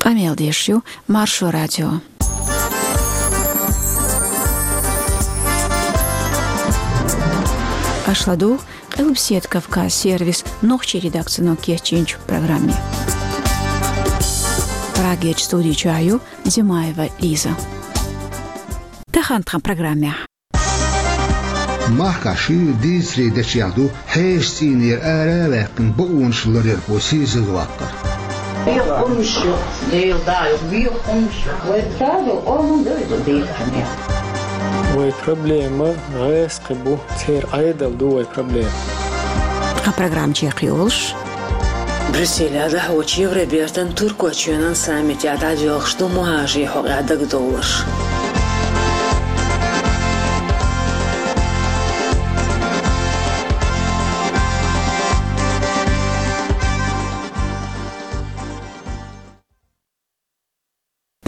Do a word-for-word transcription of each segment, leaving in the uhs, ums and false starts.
Къамел деш ю Маршо радио. Аша ладугӀу Къилбаседа Кавказ сервисан нохчийн редакцино кечйинчу программе. Прагерчу студи чохь ю Димаева Лиза. Тахана тхан программехь. Махкахь шуьйра дийцаре дечех ду хьешан цӀийнера ара а ваьккхина бакъонаш ларъярхо сийсазваккхар. Вехамаш ю, Дела даа ю, вехамаш ю. Вай царна къоман дойду дийцане. Вай проблема гӀаскхи бу, церан Ӏедал ду вай проблема. Тхан программа чекхйолуш. Брюсселехь дӀахьочу Евробертан Туркойчоьнан саммитехь дӀадоьлхуш ду мухӀажарийн хьокъехь дагадовларш.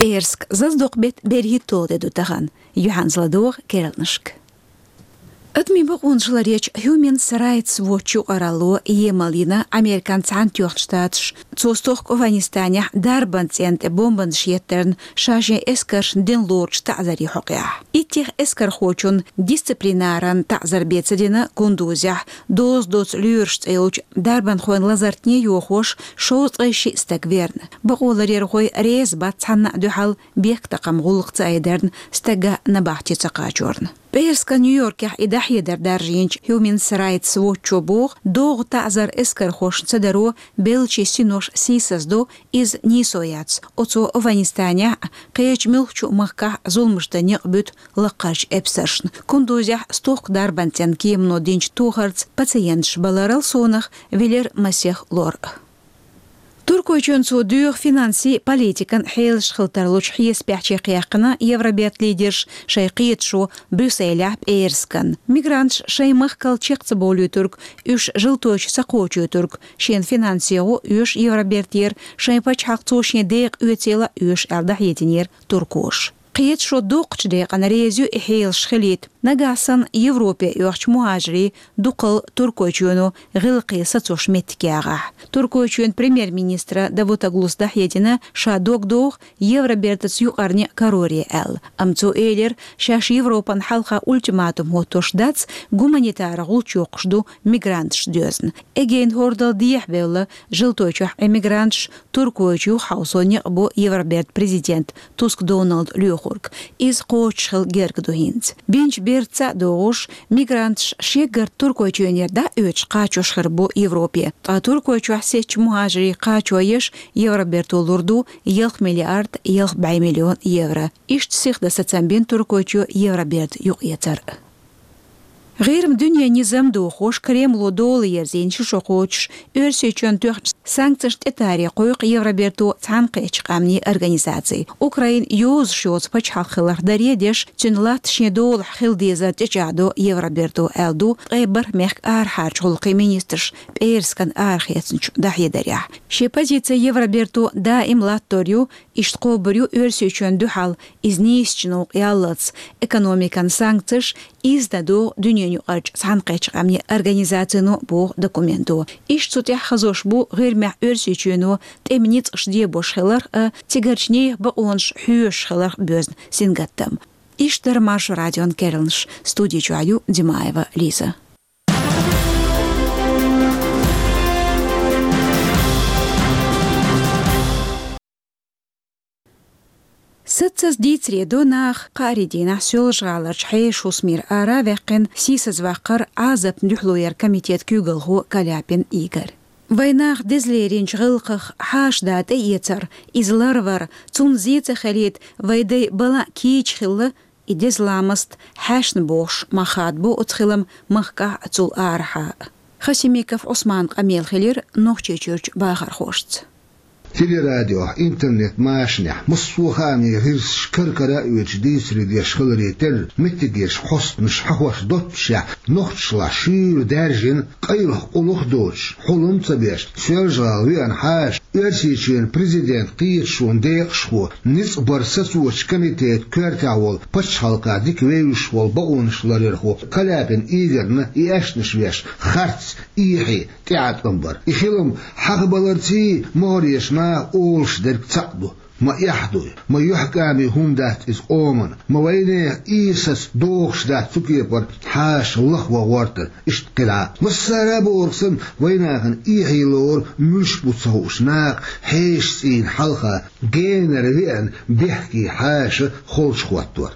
ПӀераска зазадоккху беттан берхӀитталгӀа де ду тахана, юьхьанца ладогӀа керланашка. Адамийн бакъонаш ларъечу Human Rights Watch юкъаралло емал йина Американ Цхьаьнатоьхначу Штаташ, цо стохка Афганистанехь дарбан цӀенна тӀе бомбанаш еттарна ша шен эскаршна дина лоручу таӀзарийн хьокъехь. Иттех эскархочунна дисциплинаран таӀзар бен ца дина Кундузехь, доза доцу лоьраш цӀе йолчу дарбанхойн лазартне йохош, шовзткъе шиъ стаг верна. Бакъоларъярхой реза бац цхьанна а дуьхьал бехктакхаман гӀуллакх ца айдарна, стага набахти ца кхачорна. ПӀераскан Нью-Йоркехь и дӀахьедар даржийначу Human Rights Watch-о боху, догӀу таӀзар эскархошна ца даро беллачийн синош сийсаздо, иза нийсо яц. Оцо Афганистанехь а, кхечу муьлххачу а махкахь а зуламаш дан некъ буьту лаккхарчу эпсаршна. Кундузехь стохка дарбан цӀенна кемано динчу тохарца пациенташ бан ларал сонах, вилар масех лор. Туркойчоьнна цо доьху финансийн, политикан хьелаш хила тарлучу хьесапехь чекхъяьккхина Евробертан лидерша шайн кхеташо Брюсселехь пӀераскан. Мигранташ шайн махкал чекх ца бовлуьйтург, уьш Желтойчу ца кхочуьйтург, шена финанс егӀо оьшу Евробертера, шайн пачхьалкх цо шен декъа оьцийла оьшу аьлла дӀахьединера туркоша. Кхеташо доккхачу декъана реза ю и хьелаш хилийта, нагахь санна Европе оьхучу мухӀажарийн дукхалла Туркойчоьно гӀиллакхе сацош меттиг ягӀахь. Туркойчоьнан премьер-министра Давутоглус дӀахьедина ша дог доху Евробертаца юкъарна кароре аьлла. Амма цо элира, шаьш Европан хьалха ультиматум хӀоттош дац, гуманитаран гӀулч йоккхуш ду мигранташ доьзна. Эгейн хӀордал дехьабевлла, Желтойчохь эмигранташ Туркойчу юхахьовсо некъ бо Евробертан президента Туск Доналда лоьхург. Иза кхочушхила герга ду хӀинца. Бинчу бертаца а догӀуш, мигранташ шеггарта Туркойчоьнера дӀа а оьцуш кхачош хир бу Европе. Ткъа Туркойчохь сецначу мухӀажарийн кхачо еш Евроберто лур ду ялх миллиард ялх бӀе миллион евро. Иштта сиха дан сацам бина Туркойчоь Евроберта юкъаэцар. ГӀирма дуьненан низам дохош, Кремло дола ерзийна ши шо кхочуш, Оьрсийчоьнна тоьхначу санкцешна тӀетаре кхойкху Евроберто Цхьаьнакхеттачу Къаьмнийн Организаци. Украина йозуш йоцу пачхьалкх хиларх даре а деш, цуьнан латта шен долахь хила дезар тӀечӀагӀдо Евроберто аьлла ду ткъе бархӀ мехкан арахьарчу гӀуллакхийн министраша пӀераскан арахецначу дӀахьедарехь. Шен позици Евроберто даим латтор ю, иштта кхобур ю Оьрсийчоьнна дуьхьал иза нийсачу новкъа яллалц, экономикан санкцеш иза дан догӀу дуьненан юкъарчу Цхьаьнакхеттачу Къаьмнийн Организацино, боху документо. Иштта цу тӀехь хазош бу ГӀирмехь Оьрсийчоьно тӀеман ницкъаш дебош хиларх а, цигарчу нехан бакъонаш хьоьшуш хиларх а боьзна сингаттам. Иштта дара Маршо радион керланаш. Студи чохь ю Димаева Лиза. Саццаза дийцаре до нах кхаарин дийнахь Соьлжа-ГӀаларчу хьешан хӀусамера ара а ваьккхина, сийсазваккхар Ӏазапна дуьхьало яран комитетан куьйгалхо Каляпин Игорь. Вайн нах деза леринчу гӀиллакхах хьаша да тӀеэцар, иза ларвар, цунна зен ца хилийта вайн дай бала а кийча хилла, и деза ламаст хьаьшна бохуш мах хадабо оцу хилам махкахь а, цул арахьа а. Хасимиков Ӏусманан къамел хилира Нохчийчуьрчу бахархошца. Телерадиохь, интернет-машанехь массо а хаамийн гӀирсаш кар-кара а оьцуш дийцаре деш хиларе терра, меттигерчу хьостанаша хьахош доццушехь, нохчашлахь шуьйра даьржина, къайлаха къулах а доцуш, хьулам а ца беш, Соьлжа-ГӀала веана хьаша, Оьрсийчоьнан президентан кхеташонан декъашхо, ницкъ баран сацочу комитетан коьртехь волу, пачхьалкхах дика вевзаш волу бакъонаш ларъярхо Каляпин Игорьна и аьшнаш веш харц, эхье, тӀеӀаткъам бара. И хилам хьахабаларций, могӀарерчу Наха олуш дерг цхьаъ ду: ма эхь дуй, ма юьхькӀаме хӀума дац иза къоман, ма вайнехан Ӏийсас догӀуш дац цу кепара хьаша лаха ван гӀортар, иштта кхидӀа. Массара а бохург санна, вайнахана эхье лору муьлш бу ца хууш наха хьешан цӀийнан хьалха генара веана бехке хьаша холчухӀоттор.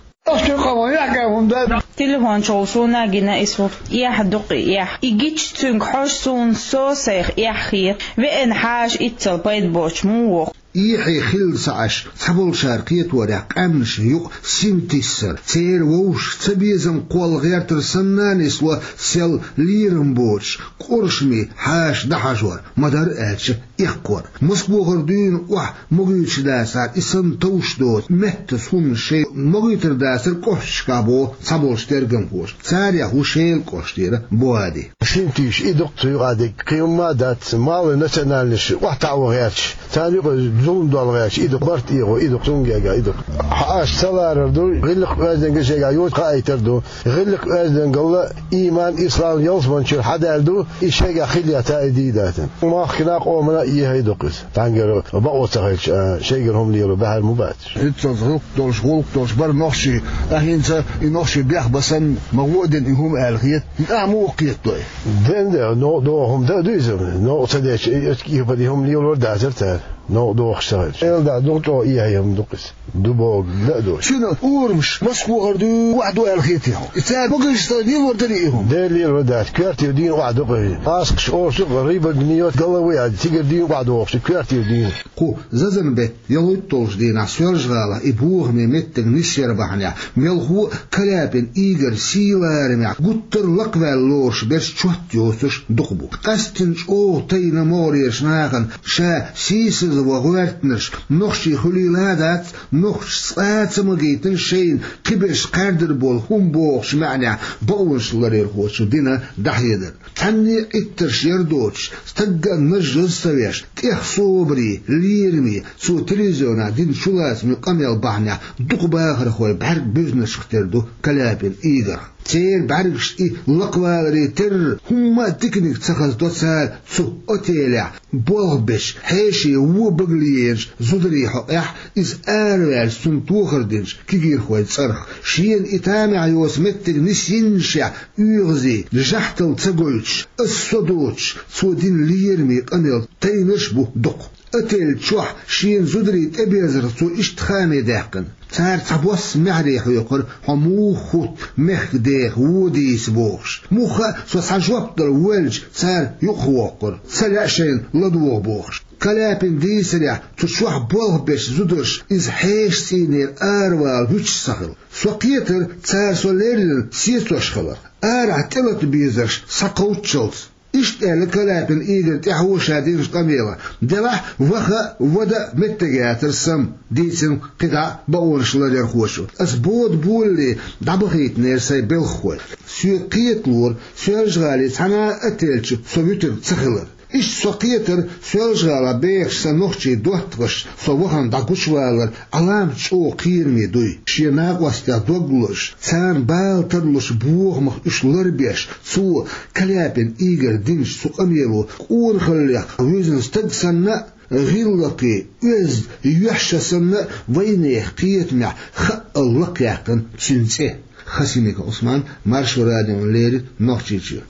Телефон чухула суна гина иза хӀума. Эхь ду-кх и, эхь. И гича цуьнга хьожа суна со сайх эхь хета. Веана хьаша иццал пайда боцуш муха воху? Эхь хилла ца Ӏаш, цхьаболчара кхеторехь, къаьмнашна юкъа синтиссар, церан вовшашка цабезам кхолла гӀертар санна а нисло, сел лерам боцуш, къуршаме хьаша дӀахьажор, ма-дарра аьлча, эккхор. Маскахара дуьйна охьа могуьйтуш дацахьара, и санна товш доцу меттаза хӀуманаш шайн могуьйтур дацара кӀошташкахь, боху цхьаболчу тергамхоша. Царех ву Шелан кӀоштара Буади. Синтийша и ду-кх цу юкъа дерг, кхин хӀумма а дац, малый национальносташ охьатаӀо гӀерташ, царна юкъа зулам дол гӀерташ и ду-кх, барт эгӀо и ду-кх, цуьнга гергахь и ду-кх. Хьаша ца ларар ду, гӀиллакх-оьздангалла шайгахь йоцуш хаийтар ду. ГӀиллакх-оьздангалла, ийман, ислам ялсаманчуьра хьадаьлла ду, и шайгахь хила ца а дийдатана. Махкана а, къомана а эхь ду-кх иза. Цхьаьнгара бакъо ца хилча, а, шайгара хӀума лело баьхьар ма бац. ХӀинццалц гӀиллакх долуш, гӀуллакх долуш бара нохчий, а хӀинца и нохчий бехбан санна, ма гӀо а дина и хӀума аьлла хета. ХӀинца а муха кхетадо и? Ден де, новкъа догӀу хӀума дан а ду иза. Новкъа ца дечу, и оцу кепара и хӀума лелор дацара цара. Новкъа догӀуш ца хилча. Эла дӀа ду-кх, чӀогӀа эхь хӀума ду-кх иза. Ду бохург дан а ду. Шуна урамаш Москвахара дуй, охьадо аьлла хетий хьуна? И цара могуш сан лелор дарий и хӀума? Дера лелор дац. Коьртера дийна охьадо-кх и. Аскаш орцу-кх, рыба гниёт, головы, а цигара дийна охьадогӀуш, коьртера дийна. Кху зазан беттан ялхитталгӀачу дийнахь Соьлжа-ГӀалахь и бохаме меттиг нисъяр бахьанехь, мелхо а Каляпин Игорь сий-ларамехь гуттар а лакхаваьлла лоруш берш чот йоцурш дукха бу. Къаьсттина чӀогӀа тайна могӀарерчу нахана ша сийсаза ван гӀоьртинарш нохчий хуьлийла а дац, нохчаша цкъа а ца магийтина шайна кхиберш кхаьрдар болу хӀума бохучу маьӀнехь бакъонашларъярхочо дина дӀахьедар. Цхьанне а Ӏиттарш яр доцуш, стагга а нажжаза ца веш, тӀех собаре, лераме, цо телевизионехь дина чулацаме къамел бахьанехь дукха бахархой бӀаьрг буьзначух тера ду Каляпин Игорьх. Церан бӀаьргашна и лакхаваларе терра, хӀумма а диканиг ца хазадо цара цу отелехь болх бечу хьеший вон багале еначу зударийн хьокъехь, иза араваьлча цунна тохар динчу кегийрхойн цӀарах. Шена и тамехь йоцу меттиг нисйиннашехь оьгӀазе, жахтал ца гойтуш, аса со доцуш, цо дина лераме къамел тайнарш а бу дукха. Отель чохь шена зударий тӀеберзарх цо иштта хааме даьккхина: «Цара цхьабосса маьхьарий хьоькхура, хьо муха хӀутту мехкан деха вон дийца бохуш. Муха а со цхьа жоп дала воьллича, цара юкъахвоккхура, ца лаьа шайна ладогӀа бохуш». Каляпина дийцарехь, цу чохь болх бечу зударша иза хьешан цӀийнера аравала вуьтуш ца хилла. Со кхетара цара со леррина сецош хиларх. Арахь тӀелата безарш схьакхоччалц. Иштта аьлла Каляпин Игорьна тӀаьхьо ша динчу къамелехь: «Делахь, ваха а, вада а меттиг яцара сан», — дийцина кхидӀа а бакъонашларъярхочо. Аса бода болале дӀабахийтинера сайн белхахой. Соьга кхеталора Соьлжа-ГӀалин цхьана а отель чу со вуьтур ца хилар. Иштта со кхетара Соьлжа-ГӀалахь бехаш сан нохчийн доттагӀашца со вахана дӀагучувалар Ӏаламат чӀогӀа кхераме дуй. Шен накъостех дог лозуш, царна бала тарлуш бохамах уьш ларбеш, цо, Каляпин Игорь, динчу цу къамело къонахаллех вуьзна стаг санна а, гӀиллакхе, оьзда, йоьшша санна а вайнехан кхетамехь хаъал лакхаяьккхина цуьнан цӀе. Хасимиков Ӏусман, Маршо радиона леррина, Нохчийчоь.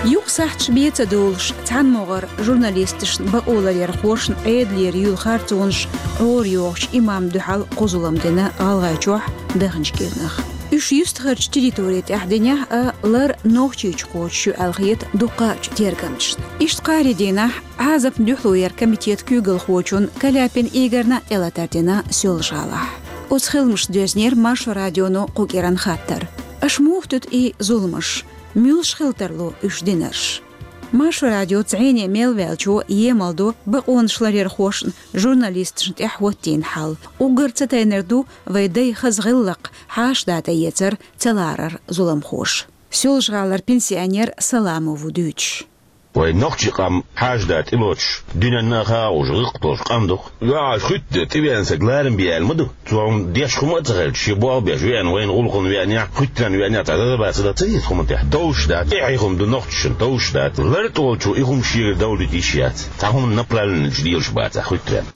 Юкъа сахьташ бен ца долуш, цхьаьнамогӀара журналисташна, бакъоларъярхошна Ӏедалера юьйлу харцонаш Ӏорайохучу имамна дуьхьал кху зулам дина ГӀалгӀайчохь, даханчу кӀирнах. Уьш юьстахарчу территори тӀехь динехь а, лар Нохчийчу кхочуш ю аьлла хета дуккхачу тергамчашна. Иштта кхаарин дийнахь Ӏазапна дуьхьало яран комитетан куьйгалхочунна Каляпин Игорьна тӀелатар дина Соьлжа-ГӀалахь. Оцу хиламашца доьзнера Маршо радионо кху кӀиран хаттар. Аша муха туьту и зуламаш? Муьлш хила тарло уьш динарш? Маршо радиоца зӀене мел ваьллачо емал до бакъонашларъярхошна, журналисташна тӀехь хӀоттийна хьал. Уггар ца тайнар ду вайн дайн хаза гӀиллакх, хьаша дӀа тӀеэцар, ца ларар зуламхоша. Соьлжа-ГӀалара пенсионер Саламов ву дуьйцуш. Вай нохчий къам хьажа да тӀелоцуш, дуьненна а хаа уж гӀиллакх долуш къам ду-кх. ЙоӀ, хуьтту тӀевеана саг ларам бе аьлла ма ду. Цо хӀума деш хӀума а ца хилча, шен болх беш веана, вайна гӀуллакхана веана, хуьттарна веана, цхьа дада бац, ца деза хӀуманна тӀехь. Довш дац, тӀаьхье хӀума ду нохчашна, довш дац. Лар тӀе волчо и хӀума шегара довлийта йиш яц. Цхьа хӀума направленно лелаш бац хуьттарна.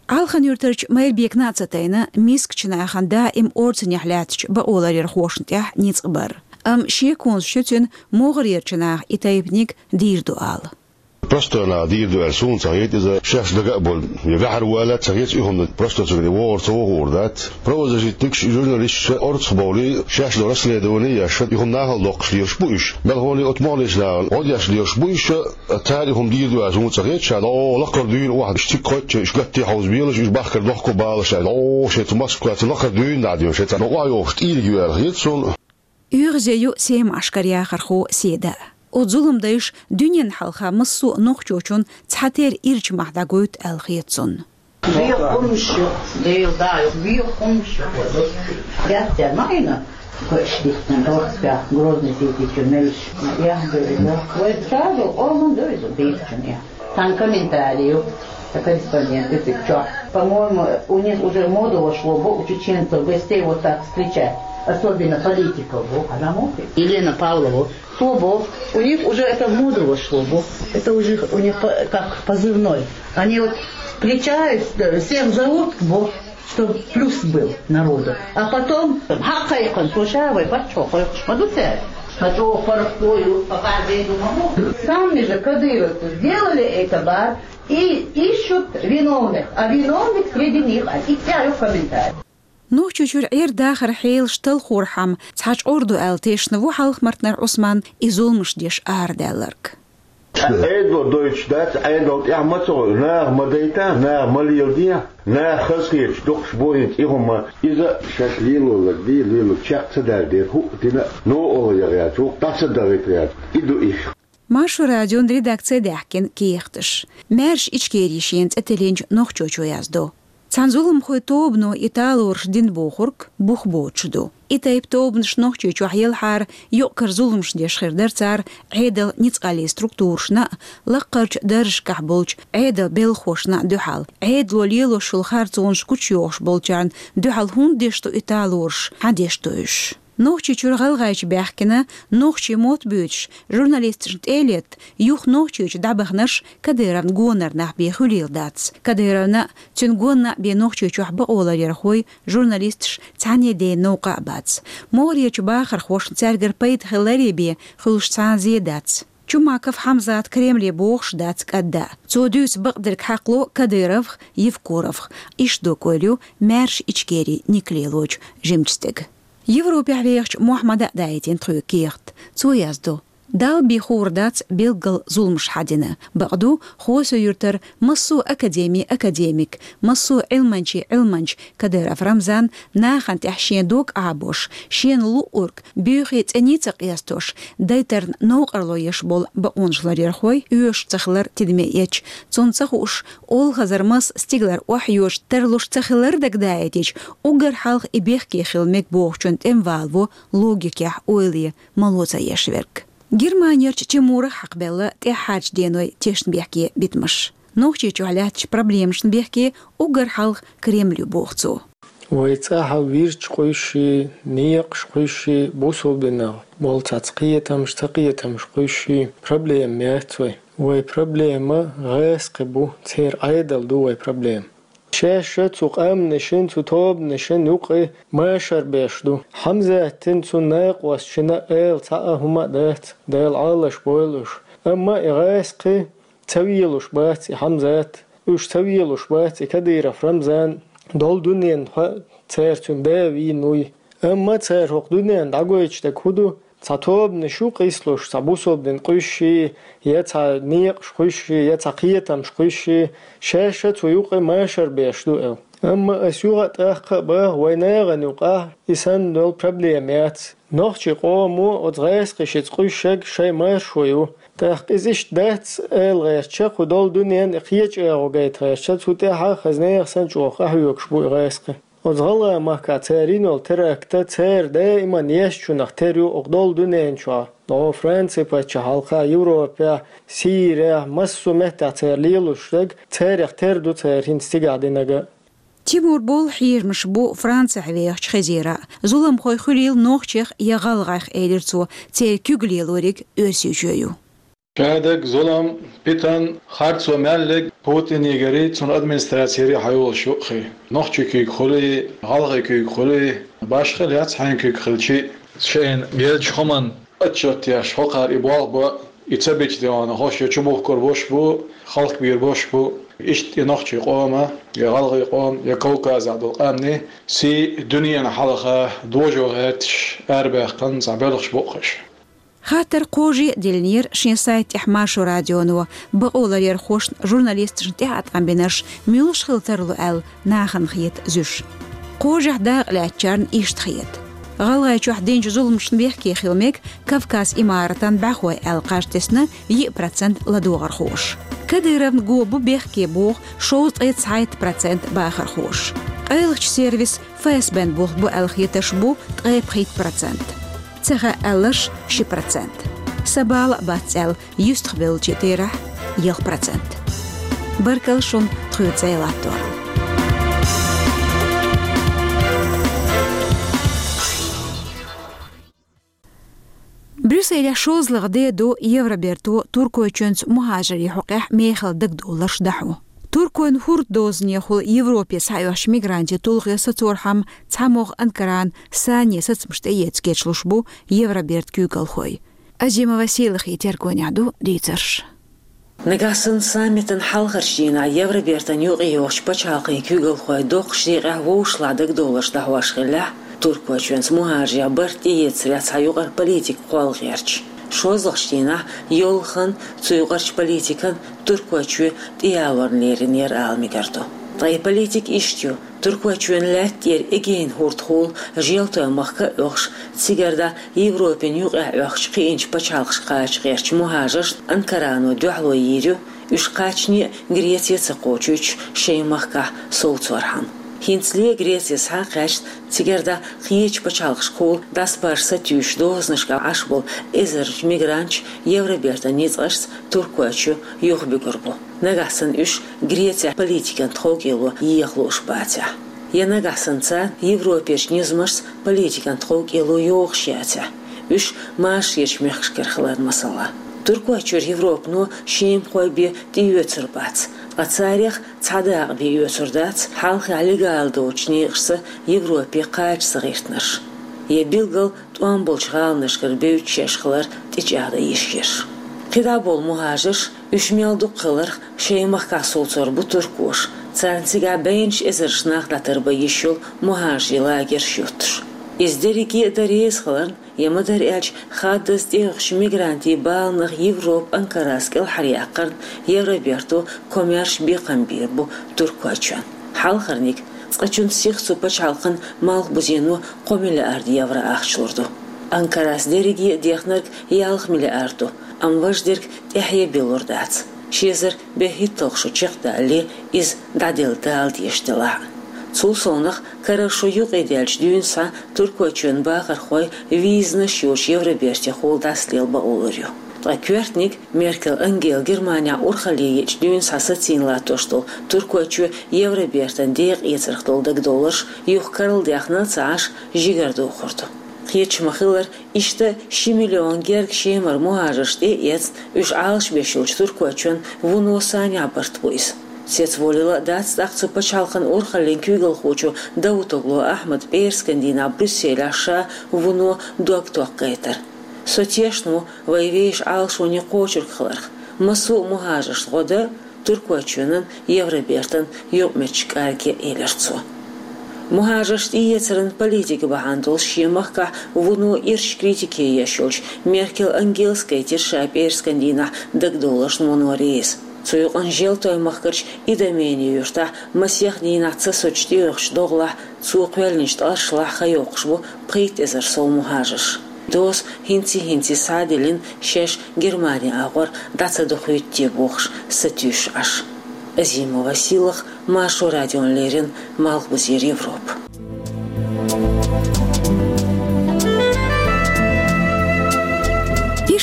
Алхан-Юьртарчу Майрбекна а ца тайна, мискачу нахана даим орцанехь лаьттачу бакъоларъярхошна тӀехь ницкъ бар. Амма шеконаш ю цуьнан могӀарерчу наха и тайпаниг дийр ду ала. Простой наха дийр ду аьлла суна ца хета иза, шаьш дага а болу, я ваьхьар ву аьлла а ца хета, и хӀума простой цуьнга вогӀур ца вогӀур дац. Правозащитникаш, журналисташ орцах бовлий, шаьш долу расследование еш, и хӀума нахала доккхуш лелаш бу уьш. Мелхо а оцу могӀарерчу нахана гӀо деш лелаш бу уьш, цара и хӀума дийр ду аьлла суна ца хета, ша дӀо лакхара дуьйна охьа, уьш цига кхоьттича, уьш гатте хьовза белаш, уьш бахкара дохко балаш аьлла, дӀо шайн цу Москваца лакхара дуьйна дӀа а дуьйна, шайн цхьа бакъо а йохуш, тӀийриг ю аьлла хета суна. ОьгӀазе ю Сема-Ӏаскар яхархо Седа. Оцу зуламдайша дуьненна хьалха массо а нохчочунна цхьатерра ирча мах дӀагойту аьлла хета цунна. Вехаш хӀумнаш ю, Дела даа, вехаш хӀумнаш ю. Яц цара ма Ӏийна, кхоьш дитина, Орцках, Грозный сийти чу меллаш. Яхь ду иза. Вай цхьа а ду, къоман ду иза, бийрчун яхь. Цхьана комментарий ю, сан корреспондент ю цига чохь. По-моему, у них уже в моду вошло бу у чеченцев гостей вот так встречать. Особенно политиков бу. Елена Павлова. Цо боху, у них уже это в моду вошло бу. Это уже у них по- как позывной. Они вот встречаются, всем зовут бу, чтоб плюс был народу. А потом, хьакхайкхина, цо ша вай паччахьо кхойкхуш ма ду цара. Ма чӀогӀа паргӀато ю, пока зен ду ма бу. Сами же кадыровцы сделали это бар и ищут виновных. А виновник среди них, а и цӀе ю комментарий. Нохчийчуьра Ӏер-дахаран хьелаш талхорхьама цхьа чкъор ду аьлла тешна ву Хьалха-Мартанара Ӏусман и зуламаш деш арадаьлларг. Ӏедало дойтуш дац, Ӏедал тӀехь ма ца гӀо, наха ма дайта, наха ма леладе, наха хазахеташ дукхаш бу хӀинца и хӀума. Иза шаьш лелориг дийр, лелориг чекх ца даьр дера, хӀуъа дина, новкъарло ян гӀерташ ву, дӀа ца дахийта гӀерташ. И ду уьш. Маршо радион редакци даьхкина кехаташ. Маьрша Ичкери шена цӀе тиллинчу нохчочо яздо. Цхьана зуламхойн тобано и талораш дина бохург бух боцуш ду. И тайпа тобанаш Нохчийчохь елхьара юкъ-кара зуламаш деш хир дара цара Ӏедалан ницкъаллин структурашна а, лаккхарчу даржашкахь болчу Ӏедалан белхахошна а дуьхьал. Ӏедало лелош йолу харцонаш гучуйохуш болчарна дуьхьал хӀунда деш ду и талораш, хьан деш ду уьш? Нохчийчуьра гӀалгӀайчу баьхкина, нохчийн мотт буьйцуш, журналисташна тӀе а летта, юха Нохчийчу дӀабаханарш Кадыровн гонара нах бен хуьлийла дац. Кадыровна а, цуьнан гонна а бен Нохчийчохь бакъоларъярхой, журналисташ цхьаьна а ден новкъа а бац. МогӀарерчу бахархошна цаьргара пайда хиларе бен хуьлуш цхьа а зен дац. Чумаков Хьамзата Кремле бохуш дац кӀадда. Цо дуьйцу бакъдерг хьакхало Кадыровх, Евкуровх. Иштта доккхур ю Маьрша Ичкери ник лелочу жимачу стеган. Европехь вехачу Мохьмада а даийтина тхоьга кехат. Цо яздо: Далла бен хуур дац билггал зуламаш хьан дина. Бакъду, Хосо-Юьртара массо а академин академик, массо а Ӏилманчин Ӏилманча Кадыров Рамзан нахана тӀехь шен дог Ӏабош, шена луъург боьхе цӀена ца къестош, дайтарна новкъарло еш болу бакъонаш ларъярхой оьшуш ца хилар тидаме эцча, цунна ца хууш, олхазар маса стигалара охьайоьдуш тарлуш ца хилар дагадаийтича, уггар хьалха и бехке хила мега бохучун тӀеман валаво логикехь ойле мало ца еш верг. Германерчу Тимура хьакхабелла тӀаьххьарчу денойн тешнабехке битамаш. Нохчийчохь лаьттачу проблемашна бехке уггар хьалха Кремль ю, боху цо. Вай цӀахь вирдаш кхуьссий, некъаш кхуьссий, бусулба динехь болу цхьацца кхетамаш, цакхетамаш кхуьссий, проблема яц вай. Вай проблема гӀазкхи бу, церан Ӏедал ду вай проблема. Шаьш а цу къаьмнашна, цу тобанашна юкъа машар беш ду. Хьамзатна, цуьнан накъосташна ала цхьа а хӀума а дац, Дала Ӏалаш бойла уьш. Амма и гӀазкхи ца велуш бац и Хьамзат, уьш ца велуш бац и Кадыров Рамзан, долу дуьненна хьо цара цуьнан да вийна вуй. Амма цара хӀокху дуьненна дӀагойтуш дерг хӀун ду? Цхьа тобанаш ю къийсалуш, цхьа бусулба дин кхуьссий, я цхьа некъаш кхуьссий, я цхьа кхетамаш кхуьссий, шаьш а цу юкъа машар беш ду аьлла. Амма ас юха а тӀаккха а боху, вайн нахана юкъахь и санна долу проблема яц. Нохчийн къомо оцу гӀазкхашца кхуьссург шайн маршо ю. ТӀаккха иза иштта дац ала гӀертача, кху долу дуьненна и кхечу агӀо гайта гӀертача, цу тӀехь хаза нехан санна чӀогӀа къахьоьгуш бу и гӀазкхи. Оцу гӀалгӀай махкахь цара йина йолу теракт а цара даиман ешначунах тера ю окху долу дуьнен чохь. О, Франци паччахьалкхехь, Европехь, Сирехь, массо а меттехь цара лелош дерг, царех тера ду цара хӀинца цигахь динарг а. Тимур болу хьежамаш бу Францехь вехачу хезера. Зуламхой хуьлийла нохчех я гӀалгӀех, элира цо, церан куьг лелориг Оьрсийчоь ю. Шадерг, зулам, питана, харцо мел ерг Путинегари цуьнан администрацегари хьайолуш ю-кх и. Нохчийн куьйга хуьлий, гӀалгӀайн куьйга хуьлий, башхалла яц хьайн куьйга хилчий. Шайна герзачу хӀуманна отчет деш, хӀокхара и болх бан, и ца бича дегӀана хӀорш я чубухкур бош бу, хьалхабийр бош бу. Иштта и нохчийн къоман, я гӀалгӀайн къоман, я Кавказехь долу къаьмнийн сий дуьненна хьалха дожо гӀерташ арабаьккхина цхьа белхаш бу-кх уьш. Хаттар кхоже а диллинера шен сайта тӀехь Маршо радионо, бакъоларъярхошна, журналисташна тӀеӀаткъам бинарш муьлш хила тарло аьлла нахана хета зуьш. Кхожехь дакъа лаьцначарна иштта хета. ГӀалгӀайчохь динчу зуламашна бехке хила мега Кавказ имаратан бӀаьхой аьлла кхаж тесна йиъ процент ладогӀархоша. Кадыровна го бу бехке боху шовзткъе цхьайтта процент бахархоша. Къайлахчу сервис ФСБ-н болх бу аьлла хетарш бу ткъе пхийтта процент. Ца хаьа аьлларш ши процент. Сан бала а бац аьлла юьстахбевллачийн терахь ялх процент. Баркалла шуна тхоьца цӀе латторна. Брюсселехь шозлагӀа де до Евроберто Туркойчоьнца мухӀажарийн хьокъехь мехала дагадовларш дӀахьо. Туркойн хӀорддозанехула Европе схьаоьхучу мигрантийн тулгӀе сацорхьама цхьамогӀа Анкарана санне сацамаш тӀеэца кечлуш бу Евробертан куьйгалхой. Азимова Сийлахьан тергонехь ду дийцарш. Нагахь санна саммитан хьалхарчу дийнахь Евробертан юкъайогӀучу пачхьалкхийн куьйгалхой доккхачу декъехь вовшашлахь дагадовларш дӀахьош хиллехь, Туркойчоьнца мухӀажарех барт тӀеэцарехь цхьа юкъара политика кхолла гӀерташ. ШозлагӀчу дийнахь йоллахана цу юкъарчу политикан Туркойчоь тӀеялорна лерина яра ала мегар ду. Ткъа и политика иштта ю: Туркойчоьнан лаьтта тӀера Эгейн хӀордахула Желтойн махка а оьхуш, цигара дӀа Европин юкъахь оьхучу кхиъначу пачхьалкхашка кхача гӀертачу мухӀажаршна Анкарано дуьхьало йийр ю, уьш кхачане а Греце ца кхочуьйтуш шайн махкахь совцорхьама. ХӀинцале а Греце схьа а кхаьчна, цигара дӀа кхечу пачхьалкхашкахула дӀасабаржа сатуьйсучу дозанашкахь Ӏаш болу эзарнаш мигранташ Евробертан ницкъашца Туркойчу юхабуьгур бу. Нагахь санна уьш Грецехь политикан тховкӀело еха лууш бацахь, я нагахь санна царна Европерчу низамашца политикан тховкӀело йогӀуш яцахь, уьш машаречу мехкашкара хиларна масала. Туркойчуьра Европано шемахой бен тӀеоьцур бац, ткъа царех цхьа дакъа бен оьцур дац хьалхехь легала доцучу некъашца Европе кхача ца гӀиртинарш, я билггал тӀом болчу гӀаланашкара бевдда шаьш хилар тӀечӀагӀдан йиш ерш. КхидӀа болу мухӀажарш, уьш мел дукха хиларх, шайн махкахь совцор бу туркоша, царна цигахь бӀеннаш эзарнаш нах дӀатарбан йиш йолу мухӀажарийн лагерш юттуш. Иза дерриге а дан реза хиларна, я ма-дарра аьлча, хаддаза тӀеоьхучу мигрантийн баланах Европа Анкарас кӀелхьаръяккхарна Евроберто комаьрша бекхам бийр бу Туркойчоьнна. Хьалхарниг, цкъачунна сиха цу пачхьалкхан малхбузено кхо миллиард евро ахча лур ду. Анкарас дерриге а дехнарг ялх миллиард ду, амма важа дерг тӀаьхье а биллур дац, ши эзар берхӀитталгӀа шо чекхдалале, иза дӀаделла дала дезаш делахь а. Цул совнаха, карара шо юкъадаьллачу дуьйна схьа Туркойчоьнан бахархой визанаш йоцуш Евробертехула дӀасалела бакъо лур ю. Ткъа коьртаниг, Меркель Ангела Германехь урхалле еъча дуьйна схьа сацийна латтош долу Туркойчоь Евробертан декъаэцарх долу дагадовларш юха карладаьхна а ца Ӏаш, жигара дохур ду. Кхеташ ма-хиллара, иштта ши миллион герга Шемара мухӀажарш тӀе а эцна, уьш Ӏалашбеш йолчу Туркойчоьнан вуно санехь барт бу иза. Цецволийла а дац тӀаккха цу пачхьалкхан урхаллин куьйгалхочо Давутоглу Ахьмада пӀераскан дийнахь Брюсселехь ша вуно дог токхуьйтур. Со тешна ву вайн вешан Ӏалашоне кхочург хиларх. Массо а мухӀажаршна гӀо дан, Туркойчоьнан, Евробертан юкъаметтигаш кӀаргъе а, элира цо. МухӀажарш тӀеэцаран политика бахьана долуш шен махкахь вуно ирча критике еш йолчу Меркель Ангелас гайтира ша пӀераскан дийнахь дагадовларшна вуно реза. Цу юкъана Желтойн махкарчу Идомени юьртахь масех дийнахь ца соцуш тӀеоьхучу догӀлахь цо кхоьллинчу ткъашлахь хан йоккхуш бу пхийтта эзар сов мухӀажарш. Доза хӀинций-хӀинций схьа а диллина, шаьш Германи агӀор дӀа ца дохуьйту те бохуш сатуьйсуш Ӏаш. Азимова Сийлахь, Маршо радиона леррина, Малхбузера Европа.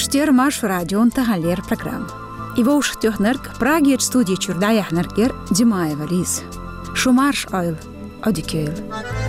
Эфирт ю Маршо радион тахан леррина программа. И вовшахтоьхнарг, Прагерчу студи чуьра дӀаяьхьнарг яра Димаева Лиза. Шу марша Ӏойла, Ӏодика йойла.